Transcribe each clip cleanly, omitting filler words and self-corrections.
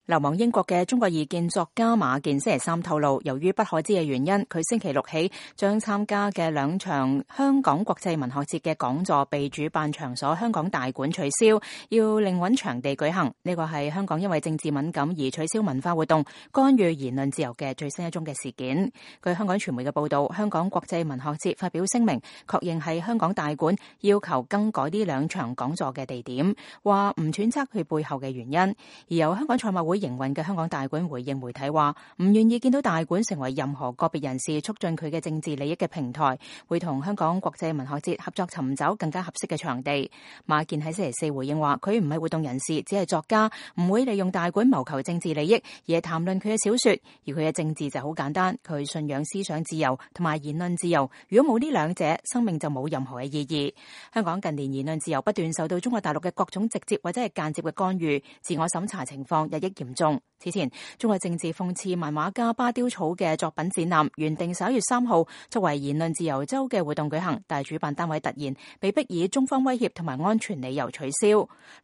流亡英國嘅中國異見作家馬健星期三透露，由於不可知嘅原因，佢星期六起將參加嘅2場香港國際文學節嘅講座被主辦場所香港大館取消，要另揾場地舉行。呢個係香港因為政治敏感而取消文化活動、干預言論自由嘅最新一宗嘅事件。據香港傳媒嘅報道，香港國際文學節發表聲明，確認係香港大館要求更改呢2場講座嘅地點，話唔揣測佢背後嘅原因。而由香港賽馬會營運嘅香港大館回應媒體話，唔願意見到大館成為任何個別人士促進佢嘅政治利益嘅平台，會同香港國際文學節合作尋找更加合適嘅場地。馬健喺星期四回應話，佢唔係活動人士，只係作家，唔會利用大館謀求政治利益，而係談論佢嘅小說。而佢嘅政治就好簡單，佢信仰思想自由同埋言論自由。如果冇呢2者，生命就冇任何嘅意義。香港近年言論自由不斷受到中國大陸嘅各種直接或者係間接嘅干預，自我審查情況日益嚴重。此前，中國政治諷刺漫畫家巴丟草嘅作品展覽原定11月3號作為言論自由週嘅活動舉行，但係主辦單位突然被迫以中方威脅同埋安全理由取消。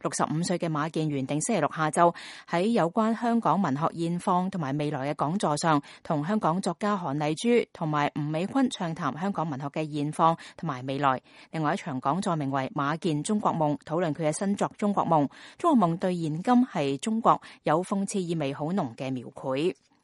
65歲嘅馬健原定星期六下晝喺有關香港文學現況同埋未來嘅講座上，同香港作家韓麗珠同埋吳美坤暢談香港文學嘅現況同埋未來。另外一場講座名為《馬健中國夢》，討論佢嘅新作《中國夢》。中國夢對現今係中國有諷刺意味好濃嘅描繪。